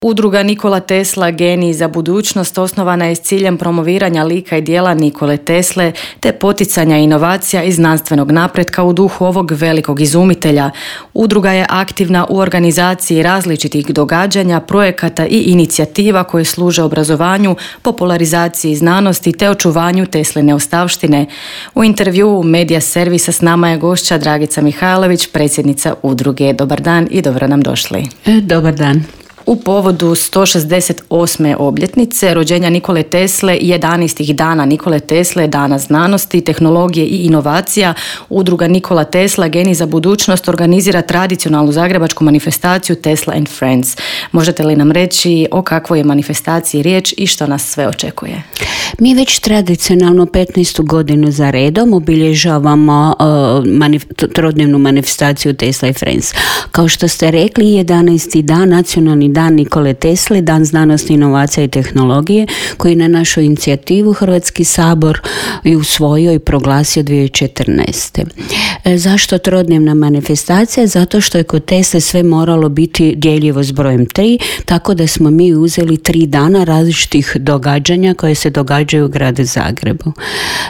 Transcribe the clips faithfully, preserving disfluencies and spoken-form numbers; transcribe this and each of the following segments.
Udruga Nikola Tesla Geniji za budućnost osnovana je s ciljem promoviranja lika i djela Nikole Tesle te poticanja inovacija i znanstvenog napretka u duhu ovog velikog izumitelja. Udruga je aktivna u organizaciji različitih događanja, projekata i inicijativa koje služe obrazovanju, popularizaciji znanosti te očuvanju Tesline ostavštine. U intervjuu Medija servisa s nama je gošća Dragica Mihajlović, predsjednica udruge. Dobar dan i dobro nam došli. Dobar dan. U povodu sto šezdeset osme obljetnice rođenja Nikole Tesle i jedanaestih dana Nikole Tesle, dana znanosti, tehnologije i inovacija, udruga Nikola Tesla Geniji za budućnost organizira tradicionalnu zagrebačku manifestaciju Tesla and Friends. Možete li nam reći o kakvoj je manifestaciji riječ i što nas sve očekuje? Mi već tradicionalno petnaestu godinu za redom obilježavamo uh, manif- trodnevnu manifestaciju Tesla and Friends. Kao što ste rekli, jedanaesti dan, nacionalni dan Nikole Tesle, dan znanosti, inovacija i tehnologije, koji na našu inicijativu Hrvatski sabor i usvojio i proglasio dvije tisuće četrnaeste. E, zašto trodnevna manifestacija? Zato što je kod Tesle sve moralo biti djeljivo s brojem tri, tako da smo mi uzeli tri dana različitih događanja koje se događaju u gradu Zagrebu.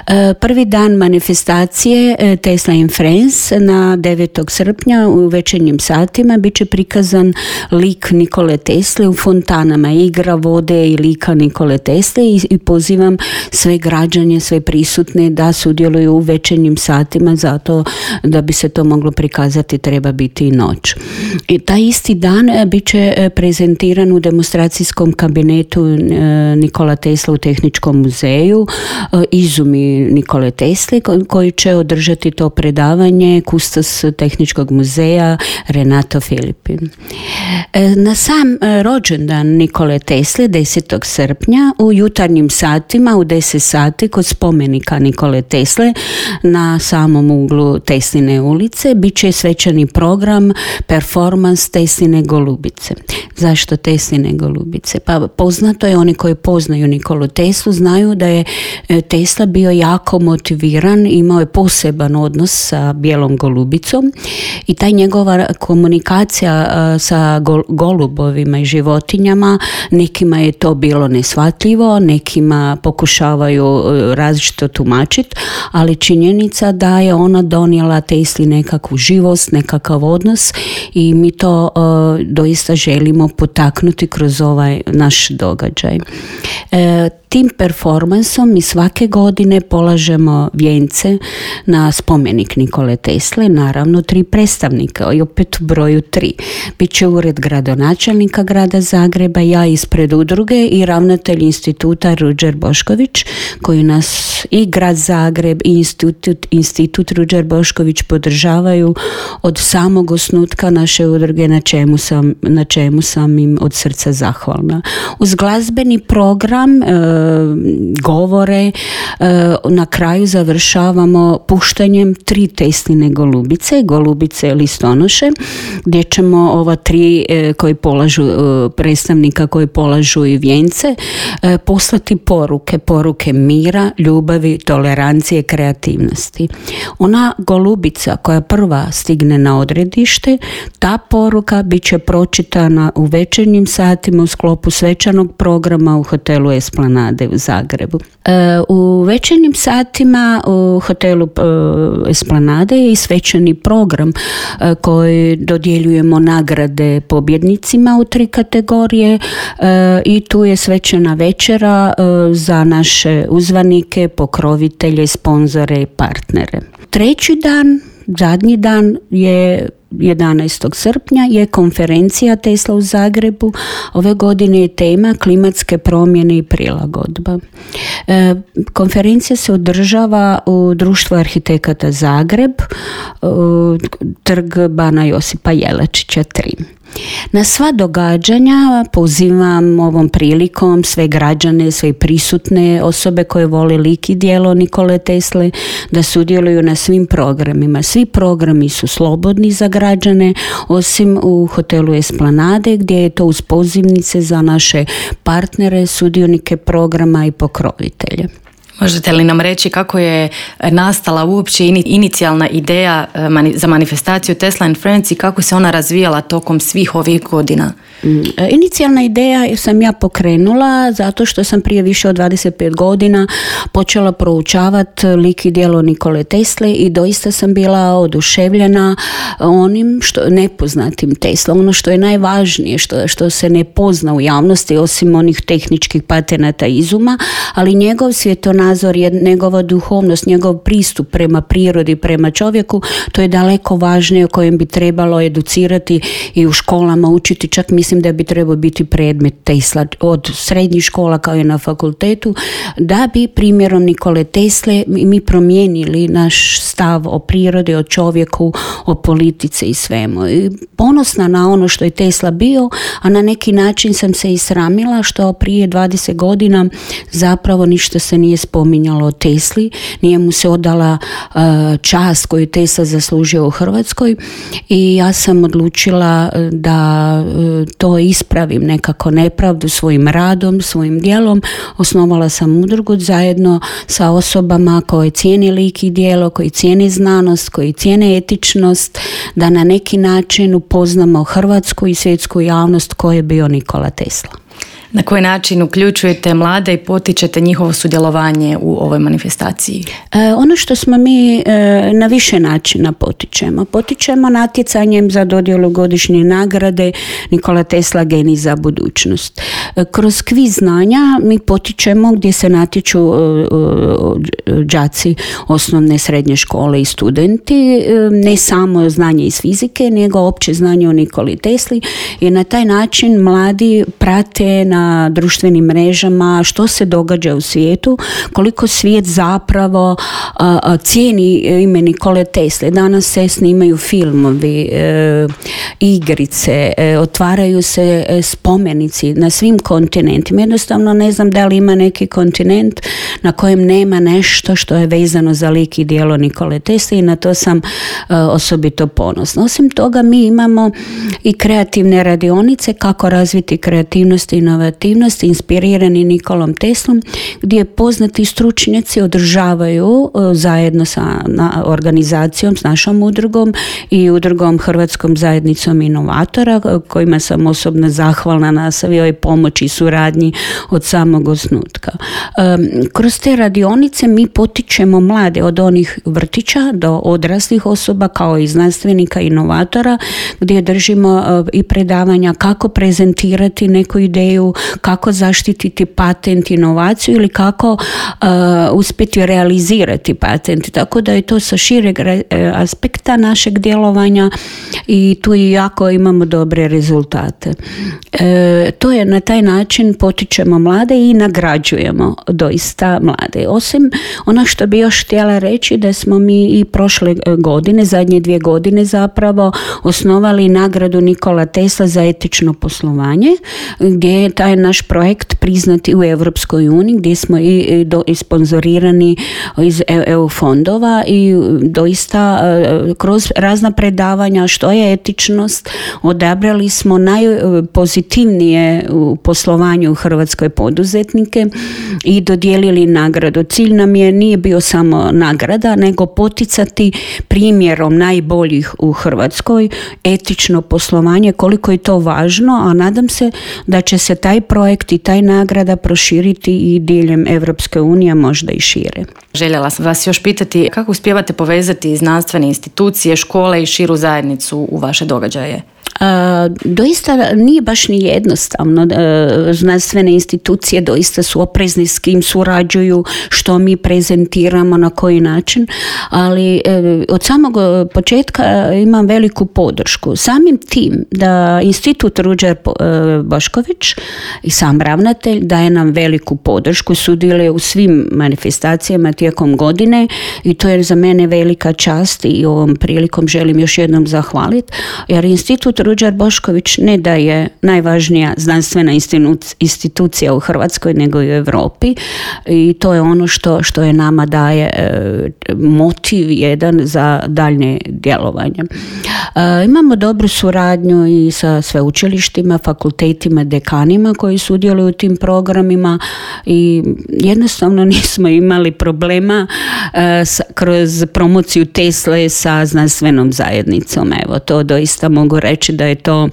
E, prvi dan manifestacije e, Tesla and Friends na devetog srpnja u večernjim satima bit će prikazan lik Nikole Tesle u fontanama, igra vode i lika Nikole Tesle i, i pozivam sve građane, sve prisutne da sudjeluju u večernjim satima, zato da bi se to moglo prikazati treba biti i noć. I taj isti dan bit će prezentiran u demonstracijskom kabinetu Nikola Tesla u Tehničkom muzeju izumi Nikole Tesle koji će održati to predavanje kustos Tehničkog muzeja Renato Filipin. Na sam rođendan Nikole Tesle desetog srpnja u jutarnjim satima u deset sati kod spomenika Nikole Tesle na samom uglu Tesline ulice bit će svečani program performans Tesline golubice. Zašto Tesline golubice? Pa poznato je, oni koji poznaju Nikolu Teslu znaju da je Tesla bio jako motiviran, imao je poseban odnos sa bijelom golubicom i taj njegova komunikacija sa gol, golubovima i životinjama, nekima je to bilo neshvatljivo, nekima pokušavaju različito tumačiti, ali činjenica da je ona donijela Tesli nekakvu živost, nekakav odnos i mi to uh, doista želimo potaknuti kroz ovaj naš događaj. E, tim performansom mi svake godine polažemo vijence na spomenik Nikole Tesle, naravno tri predstavnika i opet u broju tri. Biće ured gradonačelnika grada Zagreba, ja ispred udruge i ravnatelj instituta Ruđer Bošković, koji nas i grad Zagreb i institut, institut Ruđer Bošković podržavaju od samog osnutka naše udruge, na čemu sam, na čemu sam im od srca zahvalna. Uz glazbeni program, e, govore, e, na kraju završavamo puštanjem tri Tesline golubice, golubice listonoše, gdje ćemo ova tri e, koji polažu, e, predstavnika koji polažu i vijence, e, poslati poruke, poruke mira, ljubavi, tolerancije, kreativnosti. Ona golubica koja prva stigne na odredište, ta poruka bit će pročitana u večernjim satima u sklopu svečanog programa u hotelu Esplanade u Zagrebu. E, u večernjim satima u hotelu e, Esplanade je i svečani program e, koji dodjeljujemo nagrade pobjednicima u tri kategorije e, i tu je svečana večera e, za naše uzvanike, pokrovitelje, sponzore i partnere. Treći dan, zadnji dan je jedanaestog srpnja je konferencija Tesla u Zagrebu. Ove godine je tema klimatske promjene i prilagodba. E, konferencija se održava u Društvu arhitekata Zagreb, u trg Bana Josipa Jelačića tri. Na sva događanja pozivam ovom prilikom sve građane, sve prisutne osobe koje vole lik i djelo Nikole Tesle da sudjeluju na svim programima. Svi programi su slobodni za građane, osim u hotelu Esplanade gdje je to uz pozivnice za naše partnere, sudionike programa i pokrovitelje. Možete li nam reći kako je nastala uopće inicijalna ideja za manifestaciju Tesla and Friends i kako se ona razvijala tokom svih ovih godina? Inicijalna ideja sam ja pokrenula zato što sam prije više od dvadeset pet godina počela proučavati lik i djelo Nikole Tesle i doista sam bila oduševljena onim što nepoznatim Tesla, ono što je najvažnije, što, što se ne pozna u javnosti osim onih tehničkih patenata izuma, ali njegov svjetonazor, njegova duhovnost, njegov pristup prema prirodi, prema čovjeku, to je daleko važnije o kojem bi trebalo educirati i u školama učiti, čak mislim da bi trebao biti predmet Tesla od srednjih škola kao i na fakultetu, da bi primjerom Nikole Tesle mi promijenili naš stav o prirodi, o čovjeku, o politici i svemu. I ponosna na ono što je Tesla bio, a na neki način sam se i sramila što prije dvadeset godina zapravo ništa se nije spominjalo o Tesli, nije mu se odala uh, čast koju Tesla zaslužio u Hrvatskoj i ja sam odlučila da uh, to ispravim nekako nepravdu svojim radom, svojim djelom. Osnovala sam udrugu zajedno sa osobama koje cijene lik i djelo, koji cijene znanost, koji cijene etičnost, da na neki način upoznamo hrvatsku i svjetsku javnost ko je bio Nikola Tesla. Na koji način uključujete mlade i potičete njihovo sudjelovanje u ovoj manifestaciji? E, ono što smo mi e, na više načina potičemo. Potičemo natjecanjem za dodjelu godišnje nagrade Nikola Tesla genij za budućnost. E, kroz kviz znanja mi potičemo gdje se natječu e, e, đaci osnovne srednje škole i studenti, e, ne samo znanje iz fizike, nego opće znanje o Nikoli Tesli i na taj način mladi prate na na društvenim mrežama što se događa u svijetu, koliko svijet zapravo a, a, cijeni ime Nikole Tesle. Danas se snimaju filmovi, e, igrice, e, otvaraju se e, spomenici na svim kontinentima. Jednostavno ne znam da li ima neki kontinent na kojem nema nešto što je vezano za lik i djelo Nikole Tesle i na to sam e, osobito ponosna. Osim toga mi imamo i kreativne radionice kako razviti kreativnost i inovativnost inspirirani Nikolom Teslom, gdje poznati stručnjaci održavaju zajedno sa na, organizacijom, s našom udrugom i udrugom Hrvatskom zajednicom inovatora, kojima sam osobno zahvalna na svojoj pomoći i suradnji od samog osnutka. Um, kroz te radionice mi potičemo mlade od onih vrtića do odraslih osoba kao i znanstvenika, inovatora, gdje držimo uh, i predavanja kako prezentirati neku ideju, kako zaštititi patent, inovaciju ili kako uh, uspjeti realizirati patent. Tako da je to sa šireg aspekta našeg djelovanja i tu i jako imamo dobre rezultate. E, to je na taj način potičemo mlade i nagrađujemo doista mlade. Osim ono što bi još htjela reći da smo mi i prošle godine, zadnje dvije godine zapravo osnovali nagradu Nikola Tesla za etično poslovanje, gdje je taj naš projekt priznati u Europskoj uniji, gdje smo i, do, i sponzorirani iz E U fondova i doista kroz razna predavanja što je etičnost odabrali smo najpozitivnije u poslovanju u Hrvatskoj poduzetnike i dodijelili nagradu. Cilj nam je nije bio samo nagrada, nego poticati primjerom najboljih u Hrvatskoj etično poslovanje, koliko je to važno, a nadam se da će se taj projekt i taj nagrada proširiti i diljem Evropske unije, možda i šire. Željela sam vas još pitati kako uspijevate povezati znanstvene institucije, škole i širu zajednicu u vaše događaje? Uh, doista nije baš ni jednostavno. Uh, znanstvene institucije doista su oprezni s kim surađuju, što mi prezentiramo, na koji način, ali uh, od samog početka imam veliku podršku. Samim tim da Institut Ruđer uh, Bošković i sam ravnatelj daje nam veliku podršku, sudjeluje u svim manifestacijama tijekom godine i to je za mene velika čast i ovom prilikom želim još jednom zahvaliti, jer Institut Ruđer Bošković ne da je najvažnija znanstvena institucija u Hrvatskoj nego i u Europi i to je ono što, što je nama daje e, motiv jedan za daljnje djelovanje. E, imamo dobru suradnju i sa sveučilištima, fakultetima, dekanima koji sudjeluju u tim programima i jednostavno nismo imali problema kroz promociju Tesle sa znanstvenom zajednicom. Evo, to doista mogu reći da je to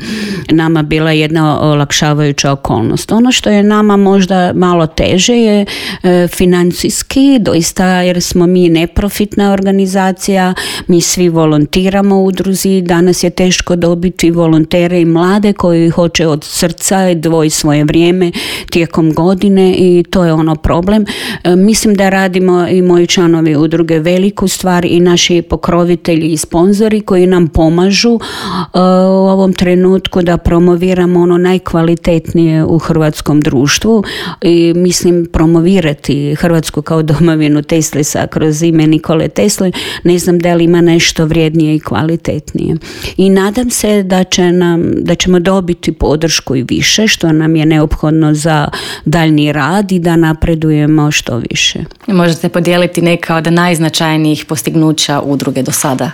nama bila jedna olakšavajuća okolnost. Ono što je nama možda malo teže je financijski, doista, jer smo mi neprofitna organizacija, mi svi volontiramo u udruzi, danas je teško dobiti volontere i mlade koji hoće od srca dvoji svoje vrijeme tijekom godine i to je ono problem. Mislim da radimo i moji članovi udruge veliku stvar i naši pokrovitelji i sponzori koji nam pomažu uh, u ovom trenutku da promoviramo ono najkvalitetnije u hrvatskom društvu i mislim promovirati Hrvatsku kao domovinu Teslesa kroz ime Nikole Tesle. Ne znam da li ima nešto vrijednije i kvalitetnije. I nadam se da će nam, da ćemo dobiti podršku i više što nam je neophodno za daljnji rad i da napredujemo što više. Možete podijeliti neka od najznačajnijih postignuća udruge do sada?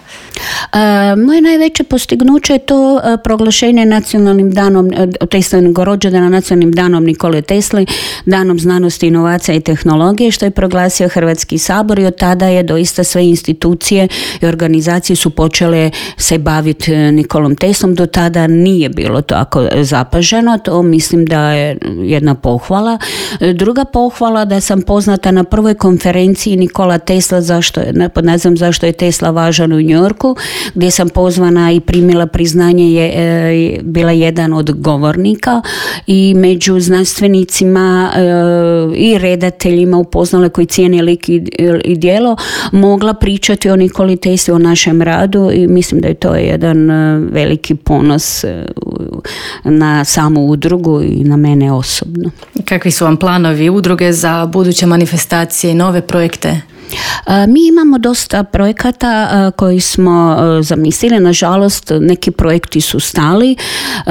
Uh, moje najveće postignuće je to uh, proglašenje nacionalnim danom uh, Teslinog rođendana, nacionalnim danom Nikole Tesle, danom znanosti, inovacija i tehnologije, što je proglasio Hrvatski sabor i od tada je doista sve institucije i organizacije su počele se baviti Nikolom Teslom. Do tada nije bilo tako zapaženo, to mislim da je jedna pohvala. Druga pohvala da sam poznata na prvoj konferenciji Nikola Tesla, zašto je, pod nazivom Zašto je Tesla važan u New Yorku, gdje sam pozvana i primila priznanje, je e, bila jedan od govornika i među znanstvenicima e, i redateljima upoznala koji cijene lik i, i djelo, mogla pričati o Nikoli Tesli, o našem radu i mislim da je to jedan e, veliki ponos e, na samu udrugu i na mene osobno. Kakvi su vam planovi udruge za buduće manifestacije i nove projekte? Mi imamo dosta projekata koji smo zamislili, nažalost neki projekti su stali,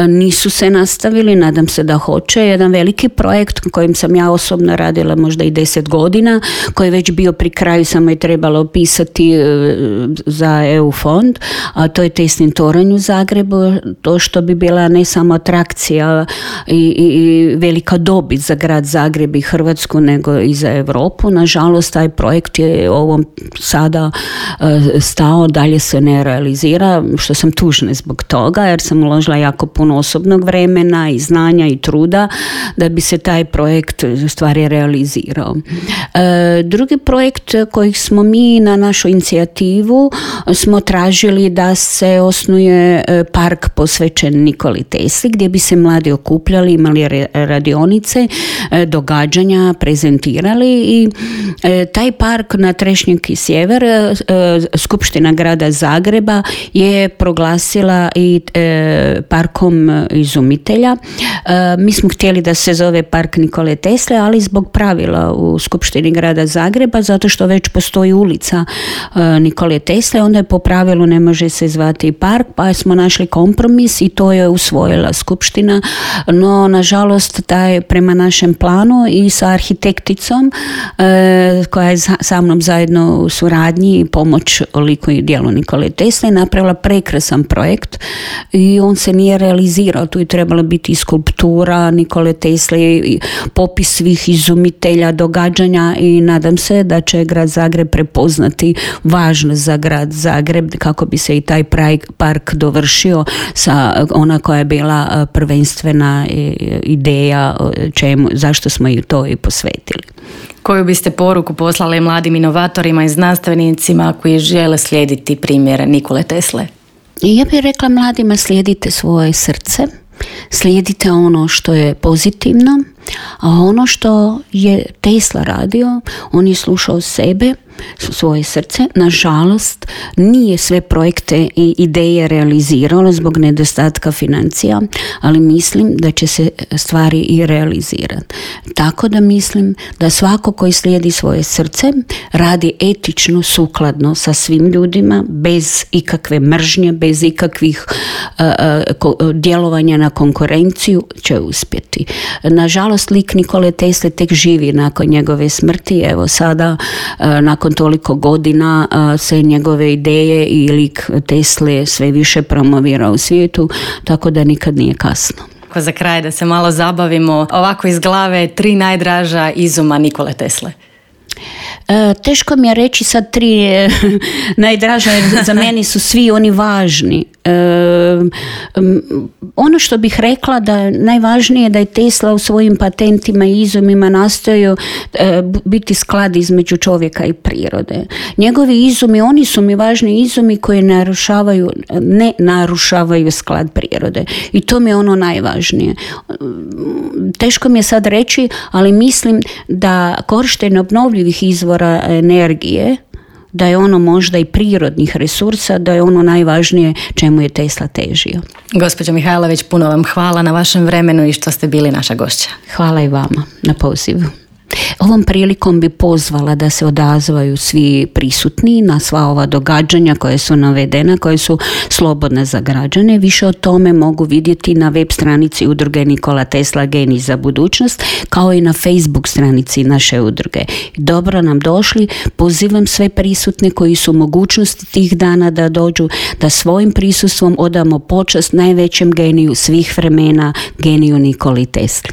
nisu se nastavili, nadam se da hoće. Jedan veliki projekt kojim sam ja osobno radila možda i deset godina, koji je već bio pri kraju, samo je trebalo pisati za E U fond, a to je Teslin toranj u Zagrebu, to što bi bila ne samo atrakcija i, i, i velika dobit za grad Zagreb i Hrvatsku, nego i za Europu. Nažalost, taj projekt je ovom sada stao, dalje se ne realizira, što sam tužna zbog toga, jer sam uložila jako puno osobnog vremena i znanja i truda da bi se taj projekt stvari realizirao. Drugi projekt kojih smo mi na našu inicijativu smo tražili da se osnuje park posvećen Nikoli Tesli, gdje bi se mladi okupljali, imali radionice, događanja, prezentirali i taj park na Trešnjak i Sjever, Skupština grada Zagreba je proglasila i parkom izumitelja. Mi smo htjeli da se zove park Nikole Tesle, ali zbog pravila u Skupštini grada Zagreba, zato što već postoji ulica Nikole Tesle, onda je po pravilu ne može se zvati park, pa smo našli kompromis i to je usvojila Skupština, no nažalost taj prema našem planu i sa arhitekticom koja je sa mnom zajedno u suradnji i pomoć liku i djelu Nikole Tesle napravila prekrasan projekt i on se nije realizirao. Tu je trebala biti i skulptura Nikole Tesle i popis svih izumitelja, događanja i nadam se da će grad Zagreb prepoznati važnost za grad Zagreb kako bi se i taj park dovršio sa ona koja je bila prvenstvena ideja čemu, zašto smo ju to i posvetili. Koju biste poruku poslali mladim inovatorima i znanstvenicima koji žele slijediti primjer Nikole Tesle? Ja bih rekla mladima, slijedite svoje srce, slijedite ono što je pozitivno, a ono što je Tesla radio, on je slušao sebe, svoje srce. Nažalost, nije sve projekte i ideje realiziralo zbog nedostatka financija, ali mislim da će se stvari i realizirati. Tako da mislim da svako koji slijedi svoje srce radi etično, sukladno sa svim ljudima, bez ikakve mržnje, bez ikakvih uh, uh, djelovanja na konkurenciju, će uspjeti. Nažalost, lik Nikole Tesle tek živi nakon njegove smrti. Evo sada, uh, nakon toliko godina se njegove ideje i lik Tesle sve više promovira u svijetu, tako da nikad nije kasno. Za kraj da se malo zabavimo, ovako iz glave tri najdraža izuma Nikole Tesle. Teško mi je reći sad tri najdraža, jer za meni su svi oni važni. Ono što bih rekla da najvažnije je da je Tesla u svojim patentima i izumima nastojao biti sklad između čovjeka i prirode. Njegovi izumi, oni su mi važni izumi koji narušavaju, ne narušavaju sklad prirode. I to mi je ono najvažnije. Teško mi je sad reći, ali mislim da korištenje obnovljivih izvora energije, da je ono možda i prirodnih resursa, da je ono najvažnije čemu je Tesla težio. Gospođo Mihajlović, puno vam hvala na vašem vremenu i što ste bili naša gošća. Hvala i vama na pozivu. Ovom prilikom bi pozvala da se odazvaju svi prisutni na sva ova događanja koje su navedena, koje su slobodne za građane. Više o tome mogu vidjeti na web stranici udruge Nikola Tesla Genij za budućnost, kao i na Facebook stranici naše udruge. Dobro nam došli, pozivam sve prisutne koji su u mogućnosti tih dana da dođu, da svojim prisustvom odamo počast najvećem geniju svih vremena, geniju Nikoli Tesli.